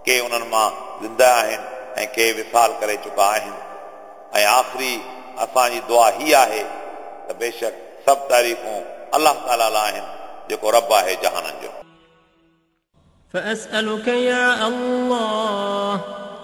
A: के उन्हनि मां ज़िंदा आहिनि ऐं के विसाल करे चुका आहिनि। ऐं आख़िरी असांजी दुआ ही आहे त बेशक सभु तारीफ़ूं अल्लाह ताला लाइ आहिनि जेको रब आहे जहाननि जो।
B: فأسألك يا الله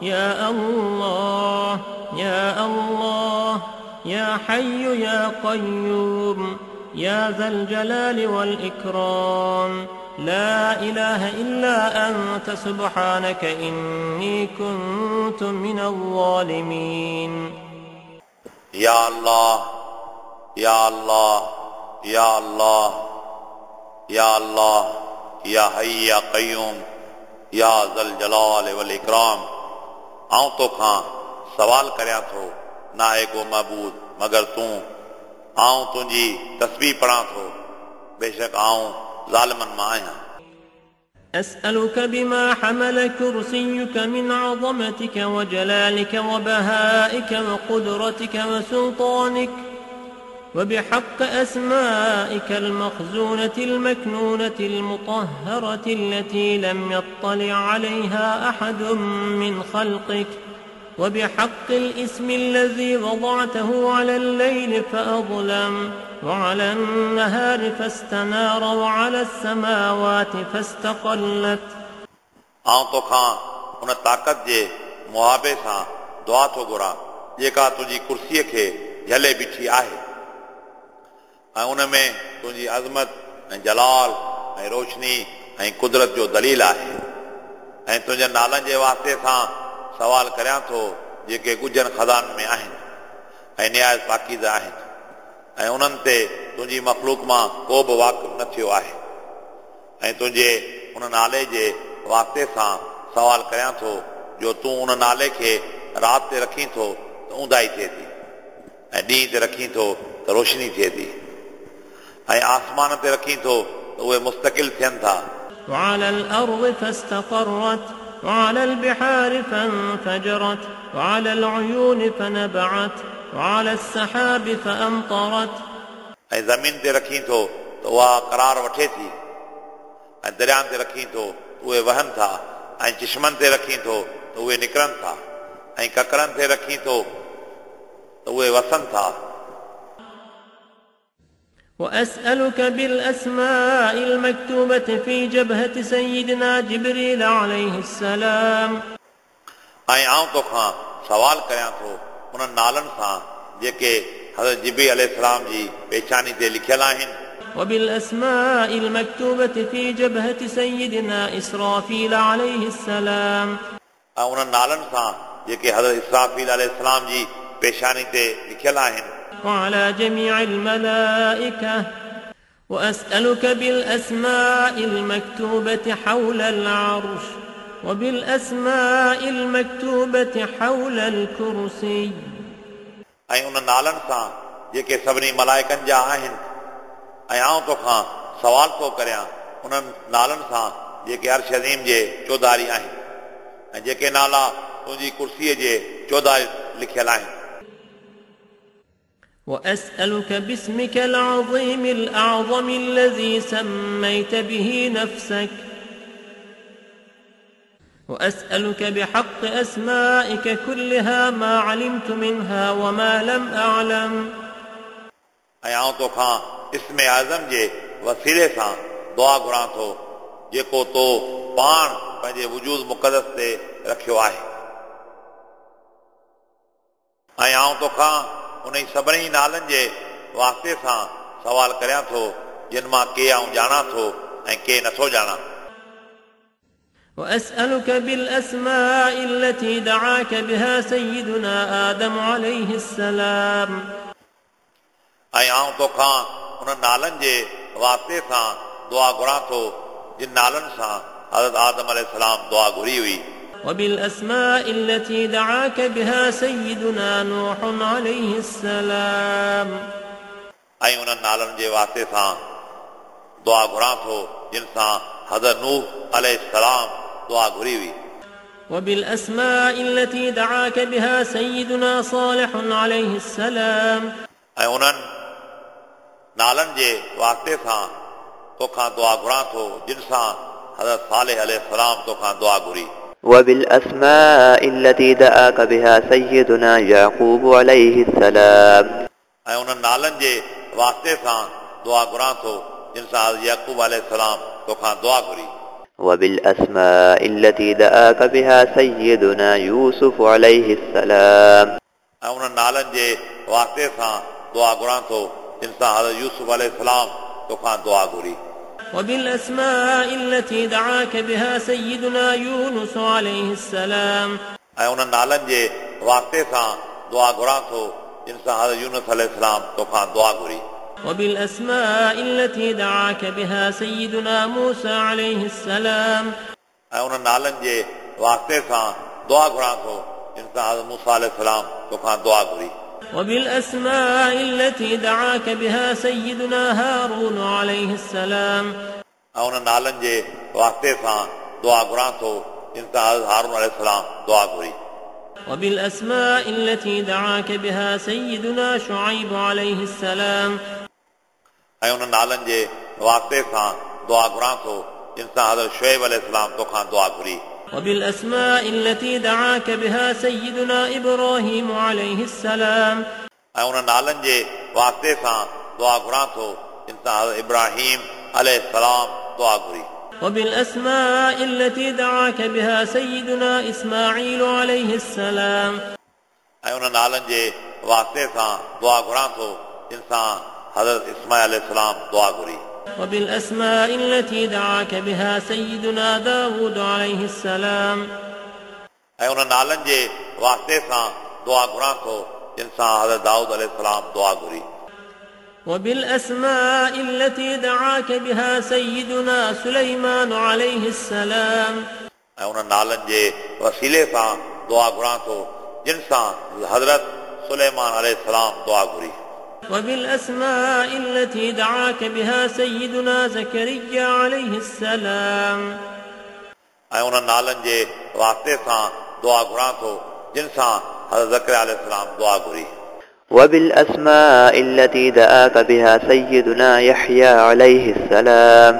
B: يا الله يا الله يا حي يا قيوم يا ذا الجلال والإكرام لا إله إلا أنت سبحانك إني كنت من الظالمين.
A: يا الله يا الله يا الله يا الله يا حي يا قيوم يا ذا الجلال والإكرام. आउं तोखां सवाल करियां थो, न आहे को महबूद मगर तूं, आउं तुंहिंजी तस्बीह पढ़ां थो, बेशक आउं ज़ालिमनि मां आहियां।
B: أسألك بما حمل كرسيك من عظمتك وجلالك وبهائك وقدرتك وسلطانك وبحق أسمائك المخزونة المكنونة المطهرة التي لم يطلع عليها أحد من خلقك وبحق الاسم الذي وضعته على الليل فأظلم وعلى النهار فاستنار وعلى السماوات فاستقلت.
A: आउं तोखां उन ताक़त जे मुआबे सां दुआ थो घुरां जेका तुंहिंजी कुर्सीअ खे झले बीठी आहे ऐं उन में तुंहिंजी अज़मत ऐं जलाल ऐं रोशनी ऐं कुदरत जो दलील आहे ऐं तुंहिंजे नालनि जे वास्ते सां सवाल करियां थो जेके ॻुझनि ख़ज़ाननि में आहिनि ऐं निहायत पाकीज़ आहिनि ऐं उन्हनि ते तुंहिंजी मख़लूक मां को बि वाक़िफ़ न थियो आहे ऐं तुंहिंजे उन नाले जे वास्ते सां सवाल करियां थो जो तूं उन नाले खे राति ते रखीं थो त ऊंदाई थिए थी ऐं ॾींहं ते रखीं थो त रोशनी थिए थी ऐं आसमान ते रखीं थो त उहे मुस्तकिल थियनि था।
B: وعلى الأرض فاستقرت وعلى البحار فانفجرت وعلى العيون فنبعت وعلى السحاب فأمطرت
A: ऐं ज़मीन ते रखीं थो त उहा करार वठे थी ऐं दरियानि ते रखीं थो त उहे वहनि था ऐं चिश्मनि ते रखीं थो त उहे निकिरनि था ऐं ककरनि ते रखीं थो त उहे वसनि था।
B: وأسألك بالأسماء المكتوبة في جبهة سيدنا جبريل عليه السلام
A: ऐं आउं तोखां सवाल करियां थो उन्हनि नालनि सां जेके हज़रत जिब्रील अलैहिस्सलाम जी पेशानी ते लिखियल आहिनि।
B: وبالأسماء المكتوبة في جبهة سيدنا إسرافيل عليه السلام
A: ऐं उन्हनि नालनि सां जेके हज़रत इसराफ़ील अलैहिस्सलाम जी पेशानी ते लिखियल आहिनि।
B: وعلى جميع الملائكة وأسألك بالأسماء المكتوبة حول العرش وبالأسماء المكتوبة حول الكرسي
A: ऐं उन नालनि सां जेके सभिनी मलाइकनि जा आहिनि ऐं आउं तोखां सवाल थो करियां उन्हनि नालनि सां जेके अर्श अज़ीम जे चौधारी आहिनि ऐं जेके नाला तुंहिंजी कुर्सीअ जे चौधारी लिखियल आहिनि।
B: وأسألك باسمك العظيم الأعظم الذي سميت به نفسك وأسألك بحق أسمائك كلها ما علمت منها وما لم أعلم
A: ऐं आउं तोखां इस्म आज़म जे वसीले सां दुआ घुरां थो जेको तो पाण पंहिंजे वजूद मुक़दस ते रखियो आहे ऐं आउं तोखां उन सभिनी नालनि जे वास्ते सां सवाल करियां थो जिन मां के आउं ॼाणां थो ऐं के नथो ॼाणां।
B: وأسألك بالأسماء التي دعاك بها سيدنا آدم عليه السلام
A: ऐं आउं तोखां उन नालनि जे वास्ते सां दुआ घुरां थो जिन नालनि सां हज़रत आदम अलैहिस्सलाम दुआ घुरी हुई।
B: وبالأسماء التي دعاك بها سيدنا نوح عليه السلام
A: ऐं उन्हनि नालनि जे वास्ते सां दुआ घुरां थो जिन सां हज़रत नूह अलैहिस्सलाम दुआ घुरी हुई।
B: وبالأسماء التي دعاك بها سيدنا صالح عليه السلام
A: ऐं उन्हनि नालनि जे वास्ते सां तोखां दुआ घुरां थो जिन सां हज़रत सालेह अलैहिस्सलाम तोखां दुआ घुरी।
C: وبالأسماء التي دعاك بها سيدنا يعقوب عليه السلام
A: ऐं उन्हनि नालनि जे वास्ते सां दुआ घुरां थो जिन सां याकूब अलैहिस्सलाम तोखां दुआ घुरी।
C: وبالأسماء التي دعاك بها سيدنا يوسف عليه السلام
A: ऐं उन्हनि नालनि जे वास्ते सां दुआ घुरां थो जिन सां हज़रत यूसुफ अलैहिस्सलाम तोखां दुआ घुरी।
B: وبالأسماء التي دعاك بها سيدنا يونس عليه السلام
A: ऐं उन्हनि नालनि जे वास्ते सां दुआ घुरां थो जिन सां हज़रत यूनुस अलैहिस्सलाम तोखां दुआ घुरी।
B: وبالأسماء التي دعاك بها سيدنا موسى عليه السلام
A: ऐं उन्हनि नालनि जे वास्ते सां दुआ घुरां थो जिन सां हज़रत मूसा अलैहिस्सलाम तोखां दुआ घुरी।
B: وبالأسماء التي دعاك بها سيدنا هارون عليه السلام
A: ऐं उन्हनि नालनि जे वास्ते सां दुआ घुरां थो जिन सां हज़रत हारून अलैहिस्सलाम दुआ घुरी।
B: وبالأسماء التي دعاك بها سيدنا شعيب عليه السلام
A: ऐं उन्हनि नालनि जे वास्ते सां दुआ घुरां थो जिन सां हज़रत शुएब अलैहिस्सलाम तोखां दुआ घुरी।
B: وبالأسماء التي دعاك بها سيدنا إبراهيم عليه السلام
A: ऐं उन्हनि नालनि जे वास्ते सां दुआ घुरां थो जिन सां हज़रत इब्राहिम अलैहिस्सलाम दुआ घुरी।
B: وبالأسماء التي دعاك بها سيدنا إسماعيل عليه السلام
A: ऐं उन्हनि नालनि जे वास्ते सां दुआ घुरां थो जिन सां हज़रत इस्माईल अलैहिस्सलाम दुआ घुरी।
B: وبالأسماء التي دعاك بها سيدنا داود عليه السلام.
A: ऐं उन्हनि नालनि जे वास्ते सां दुआ घुरां थो जिन सां हज़रत दाऊद अलैहि सलाम दुआ घुरी।
B: وبالأسماء التي دعاك بها سيدنا سليمان عليه السلام.
A: ऐं उन्हनि नालनि जे वसीले सां दुआ घुरां थो जिन सां हज़रत सुलेमान अलैहि सलाम दुआ घुरी।
B: وبالأسماء التي دعاك بها سيدنا زكريا عليه السلام.
A: ऐं उन्हनि नालनि जे वास्ते सां दुआ घुरां थो जिन सां हज़रत ज़करिया अलैहि सलाम दुआ घुरी।
C: وبالأسماء التي دعاك بها سيدنا يحيى عليه السلام.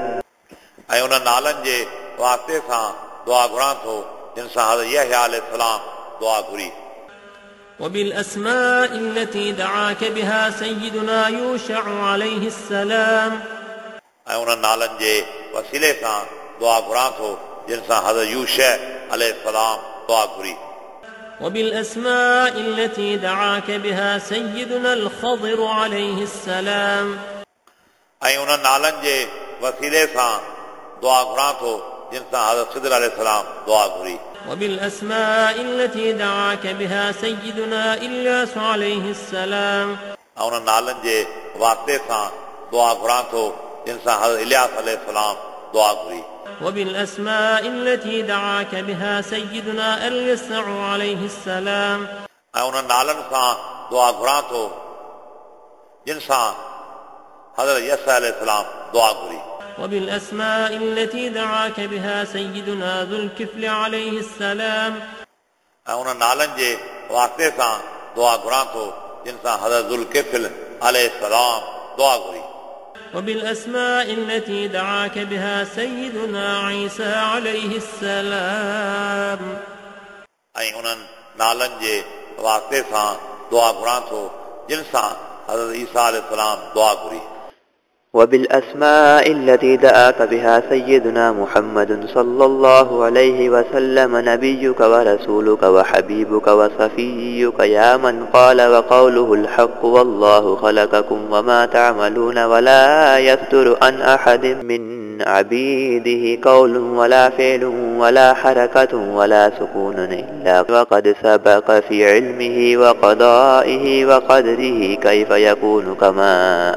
A: ऐं उन्हनि नालनि जे वास्ते सां दुआ घुरां थो जिन सां हज़रत यहया अलैहि सलाम दुआ घुरी।
B: وبالأسماء التي دعاك بها سيدنا يوشع عليه السلام.
A: ऐं उन्हनि नालनि जे वसीले सां दुआ घुरां थो जिन सां हज़रत यूशा अलैहि सलाम दुआ घुरी।
B: وبالأسماء التي دعاك بها سيدنا الخضر عليه السلام.
A: ऐं उन्हनि नालनि जे वसीले सां दुआ घुरां थो जिन सां हज़रत खिदर अलैहि सलाम दुआ घुरी।
B: وبالأسماء التي دعاك بها سيدنا إلياس عليه السلام.
A: ऐं उन्हनि नालनि जे वास्ते सां दुआ घुरां थो जिन सां हज़रत इलियास अलैहि सलाम दुआ घुरी।
B: وبالأسماء التي دعاك بها سيدنا اليسع عليه السلام.
A: ऐं उन्हनि नालनि सां दुआ घुरां थो जिन सां हज़रत यसअ अलैहि सलाम दुआ घुरी।
B: وبالأسماء التي دعاك بها سيدنا ذو الكفل عليه السلام.
A: ऐं उन्हनि नालनि जे वास्ते सां दुआ घुरां थो जिन सां हज़रत ज़ुल किफ़्ल अलैहि सलाम दुआ घुरी।
B: وبالأسماء التي دعاك بها سيدنا عيسى عليه السلام.
A: ऐं उन्हनि नालनि जे वास्ते सां दुआ घुरां थो जिन सां हज़रत ईसा अलैहि सलाम दुआ घुरी।
C: وبالأسماء التي دعاك بها سيدنا محمد صلى الله عليه وسلم نبيك ورسولك وحبيبك وصفيك يا من قال وقوله الحق والله خلقكم وما تعملون ولا يفتر عن أحد من عبيده قول ولا فعل ولا حركة ولا سكون إلا وقد سبق في علمه وقضائه وقدره كيف يكون كما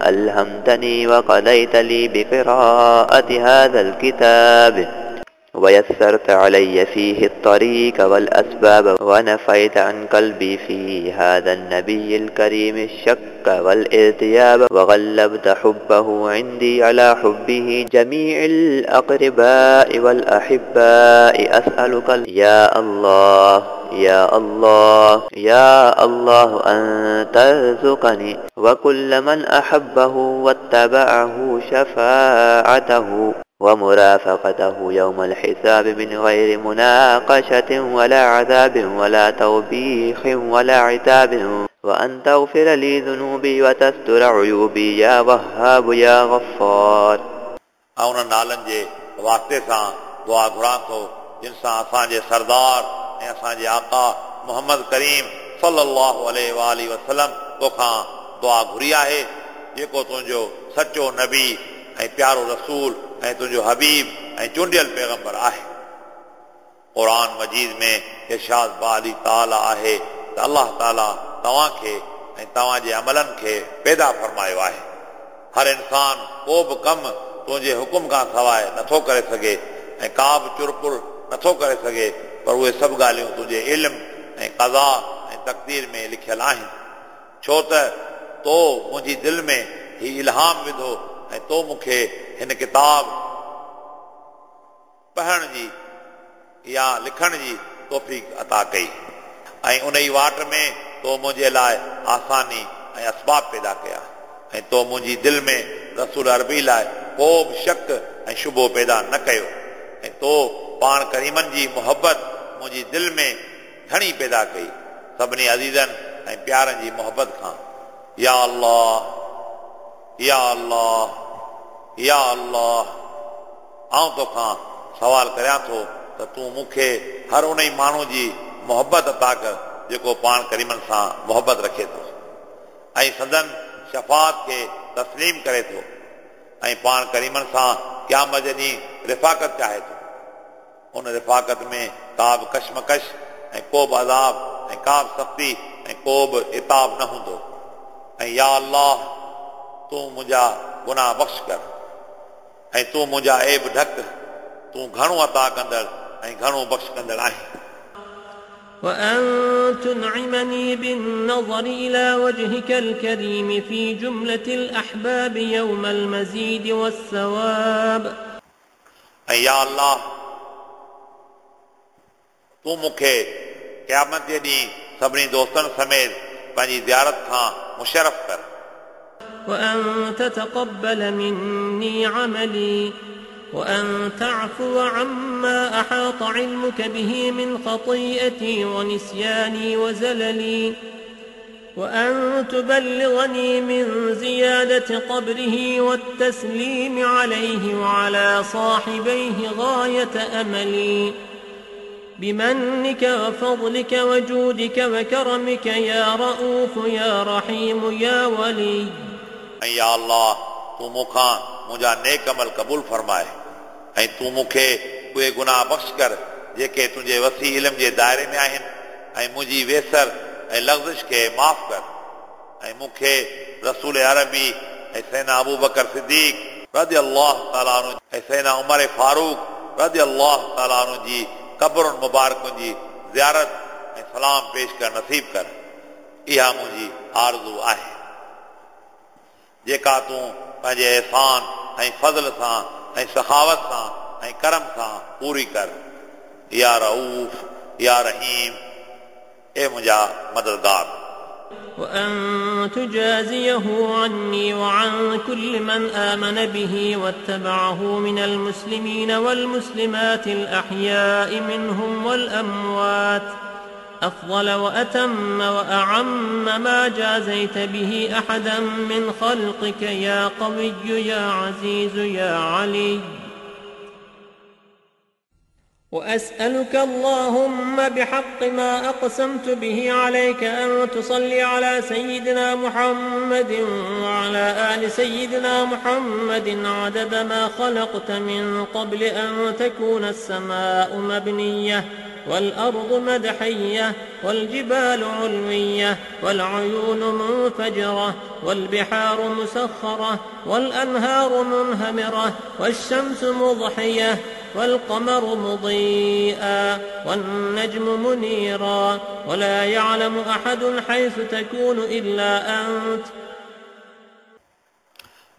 C: ألهمتني وقضيت لي بقراءة هذا الكتاب ويسرت علي فيه الطريق والأسباب ونفيت عن قلبي في هذا النبي الكريم الشك والارتياب وغلبت حبه عندي على حبه جميع الأقرباء والأحباء. أسألك يا الله يا الله يا الله أن ترزقني وكل من أحبه واتبعه شفاعته ومرافقته يوم الحساب من غير مناقشة ولا عذاب ولا توبيخ ولا عتاب وأن تغفر لي ذنوبي وتستر عيوبي يا وهاب يا غفار.
A: ऐं उन्हनि नालनि जे वास्ते सां दुआ घुरां थो जिन सां असांजे सरदार ऐं असांजे आका मोहम्मद करीम सल्लल्लाहु अलैहि वसल्लम तोखां दुआ घुरी आहे जेको तुंहिंजो सचो नबी ऐं प्यारो रसूल ऐं तुंहिंजो हबीब ऐं चूंडियल पैगंबर आहे। क़ुर मजीद में इरशाद बाली ताला आहे त अलाह ताला तव्हांखे ऐं तव्हांजे अमलनि खे पैदा फरमायो आहे। हर इंसान को बि कमु तुंहिंजे हुकुम खां सवाइ नथो करे सघे ऐं का बि चुरपुर नथो करे सघे, पर उहे सभु ॻाल्हियूं तुंहिंजे इल्म ऐं कज़ा ऐं तक़दीर में लिखियल आहिनि। छो त तो मुंहिंजी दिलि में ही इल्हाम विधो ऐं तो मूंखे हिन किताब पढ़ण जी या लिखण जी तौफ़ीक़ अता कई ऐं उन ई वाट में तो मुंहिंजे लाइ आसानी ऐं असबाब पैदा कया ऐं तो मुंहिंजी दिलि में रसूल अरबी लाइ को बि शक ऐं शुबो पैदा न कयो ऐं तो पाण करीमनि जी मुहबत मुंहिंजी दिलि में घणी पैदा कई सभिनी अज़ीज़नि ऐं प्यारनि जी मुहबत खां। या अल्लाह या अल्लाह या अल्लाह, आउं तोखां सवाल करियां थो त तूं मूंखे हर उन ई माण्हू जी मुहबत अता कर जेको पाण करीमनि सां मुहबत रखे थो ऐं संदन शफ़ात खे तस्लीम करे थो ऐं पाण करीमनि सां क़यामत जे ॾींहुं रिफ़ाक़त चाहे थो। उन रिफ़ाक़त में का बि कशमकश ऐं को बि अज़ाब ऐं का बि सख़्ती ऐं को बि इताब न हूंदो। ऐं या अल्लाह, तूं मुंहिंजा गुनाह बख़्श कर ऐं तूं मुंहिंजा ऐब ढक, तूं घणो अता कंदड़ ऐं घणो बख़्श कंदड़ आहीं।
B: وأن تنعمني بالنظر إلى وجهك الكريم في جملة الأحباب يوم المزيد والثواب.
A: ऐं या अल्लाह, तूं मूंखे क़यामत जे ॾींहुं सभिनी दोस्तनि समेत पंहिंजी ज़ियारत खां मुशर्रफ़ कर।
B: وأن تتقبل مني عملي وأن تعفو عما أحاط علمك به من خطيئتي ونسياني وزللي وأن تبلغني من زيادة قبره والتسليم عليه وعلى صاحبيه غاية أملي بمنك وفضلك وجودك وكرمك يا رؤوف يا رحيم يا ولي.
A: يا الله, तूं मूंखां मुंहिंजा नेक अमल क़बूल फरमाए ऐं तूं मूंखे उहे गुनाह बख़्श कर जेके तुंहिंजे वसी इल्म जे दायरे में आहिनि ऐं मुंहिंजी वेसर ऐं लग़ज़िश खे माफ़ कर ऐं मूंखे रसूल अरबी ऐं सैना अबू बकर सिद्दीक रज़ी अल्लाह ताला अन्हु ऐं सैना उमर फारूक रज़ी अल्लाह ताला अन्हु जी क़बरुनि मुबारकुनि जी ज़ियारत ऐं सलाम पेश कर नसीब कर। इहा मुंहिंजी आरज़ू आहे जेका तूं पंहिंजे एहसान ऐं फज़ल सां ऐं सखावत सां ऐं करम सां पूरी कर। या रऊफ या रहीम, ए मुंहिंजा मददगार।
B: وأن تجازيه عني وعن كل من آمن به واتبعه من المسلمين والمسلمات الأحياء منهم والأموات أفضل وأتم وأعم ما جازيت به أحدا من خلقك يا قوي يا عزيز يا علي. وأسألك اللهم بحق ما أقسمت به عليك أن تصلي على سيدنا محمد وعلى آل سيدنا محمد عدد ما خلقت من قبل أن تكون السماء مبنية والأرض مدحية والجبال علوية والعيون منفجرة والبحار مسخرة والأنهار منهمرة والشمس مضحية والقمر مضيئا والنجم منيرا ولا يعلم أحد حيث تكون إلا أنت.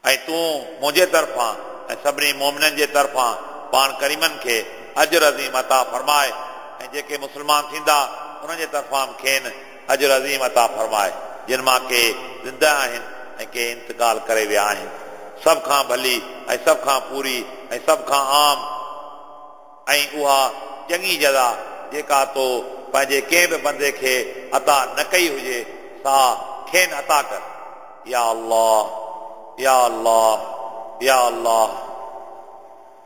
A: ऐं तूं मुंहिंजे तरफ़ां ऐं सभिनी मोमिननि जे तरफ़ां पाण करीमनि खे अजर अज़ीम अता फरमाए ऐं जेके मुस्लमान थींदा उन्हनि जे तरफ़ां खेनि अजर अज़ीम अता फरमाए, जिन मां के ज़िंदा आहिनि ऐं के इंतकाल करे विया आहिनि। सभ खां भली ऐं सभ खां पूरी ऐं सभ खां आम ऐं उहा चङी जज़ा जेका तो पंहिंजे कंहिं बि बंदे खे अता न कई हुजे सा खेनि अता कर। या अल्लाह या अल्लाह या अल्लाह।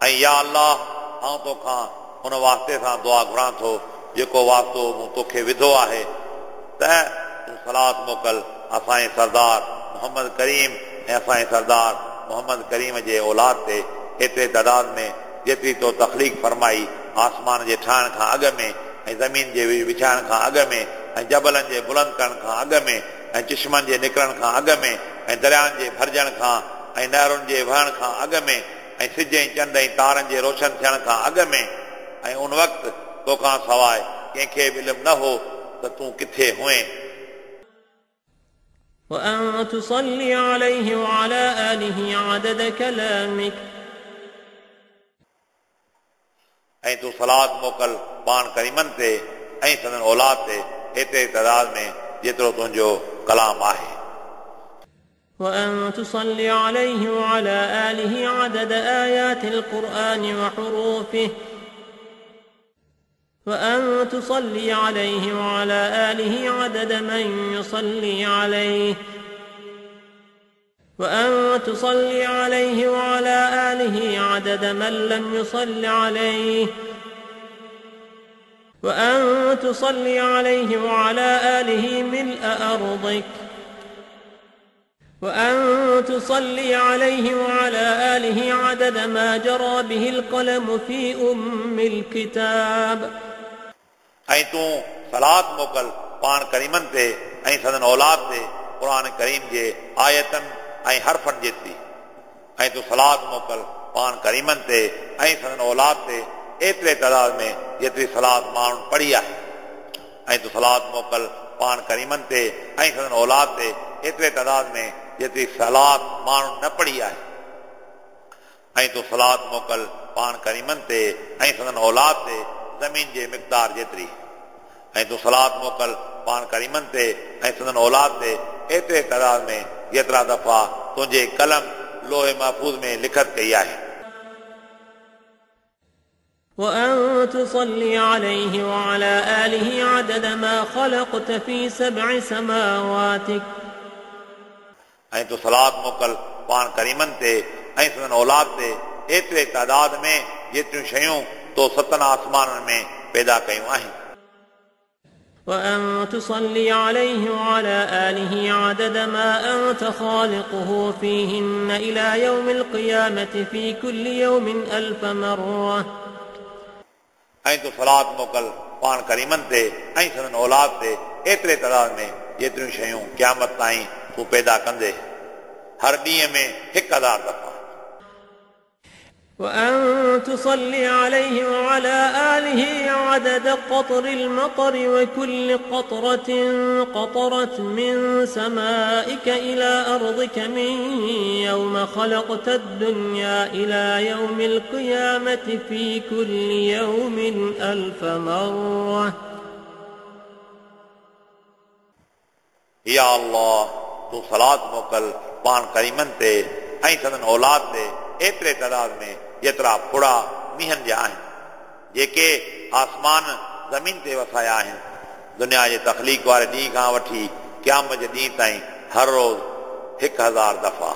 A: ऐं या अल्लाह, आउं तोखां उन वास्ते सां दुआ घुरां थो जेको वास्तो मूं तोखे विधो आहे, त तूं सलात मोकल असांजे सरदार मोहम्मद करीम ऐं असांजे सरदार मोहम्मद करीम जे औलाद ते एतिरे तादाद में जेतिरी तो तख़लीक़ फरमाई आसमान जे ठाहिण खां अॻु में ऐं ज़मीन जे विछाइण खां अॻु में ऐं जबलनि जे बुलंद करण खां अॻु में ऐं चिश्मनि जे निकिरण खां अॻु में ऐं दरियाउनि जे भरिजण खां ऐं नहरुनि जे वहण खां अॻु में ऐं सिज ऐं चंड ऐं तारनि जे रोशन थियण खां अॻु में ऐं उन वक़्तु तोखां सवाइ कंहिंखे बि इल्मु न हो त तूं किथे हुएं।
B: وأن تصلي عليه وعلى آله عدد كلامك.
A: ऐं तूं सलात मोकल पाण करीमनि ते ऐं संदन औलाद ते एतिरे तादाद में जेतिरो तुंहिंजो कलाम आहे।
B: وأن تصلي عليه وعلى آله عدد آيات القرآن وحروفه. وأن تصلي عليه وعلى آله عدد من يصلي عليه. وأن تصلي عليه وعلى آله عدد من لم يصل عليه. وأن تصلي عليه وعلى آله ملء أرضك. وأن تصلي عليه وعلى آله عدد ما جرى به القلم في أم الكتاب.
A: ऐं तूं सलात मोकल पाण करीमनि ते ऐं संदन औलाद ते क़ुर करीम जे आयतनि ऐं हरफनि जेतिरी। ऐं तूं सलात मोकल पाण करीमनि ते ऐं संदन औलाद ते एतिरे तादाद में जेतिरी सलात माण्हुनि पढ़ी आहे। ऐं तूं सलात मोकल पाण करीमनि ते ऐं संदन औलाद ते एतिरे तादाद में जेतिरी सलात माण्हुनि न पढ़ी आहे। ऐं तूं सलात मोकल पाण करीमनि ते ऐं संदन औलाद ते ज़मीन जे मिक़दार जेतिरी। ऐं तूं सलात मोकल पाण करीमनि ते ऐं संदन औलाद ते एतिरे तादाद में जेतिरा दफ़ा तुंहिंजे कलम लोहे महफ़ूज़ में लिखत कई आहे।
B: وأن تصلي عليه وعلى آله عدد ما خلقت في سبع سماواتك.
A: ऐं तूं सलात मोकल पाण करीमनि ते ऐं संदन औलाद ते एतिरे तादाद में जेतिरियूं शयूं तो सतनि आसमाननि में पैदा कयूं आहिनि।
B: وأن تصلي عليه وعلى آله عدد ما أنت خالقه فيهن إلى يوم القيامة في كل يوم ألف مرة.
A: ऐं तूं सलात मोकल पाण करीमनि ते ऐं संदन औलाद ते एतिरे तादाद में जेतिरियूं शयूं क़यामत ताईं तूं पैदा कंदे हर ॾींहं में हिकु हज़ार दफ़ा।
B: وأن تصلي عليه وعلى آله عدد قطر المطر وكل قطرة قطرت من سمائك إلى أرضك من يوم خلقت الدنيا إلى يوم القيامة في كل يوم ألف مرة.
A: يا الله तूं सलात मोकल पाण करीमनि ते ऐं संदन औलाद ते एतिरे तादाद में जेतिरा फुड़ा मींहनि जा आहिनि जेके आसमान ज़मीन ते वसाया आहिनि। दुनिया जे तख़लीक़ वारे ॾींहं खां वठी क़यामत जे ॾींहं ताईं हर रोज़ हिकु हज़ार दफ़ा।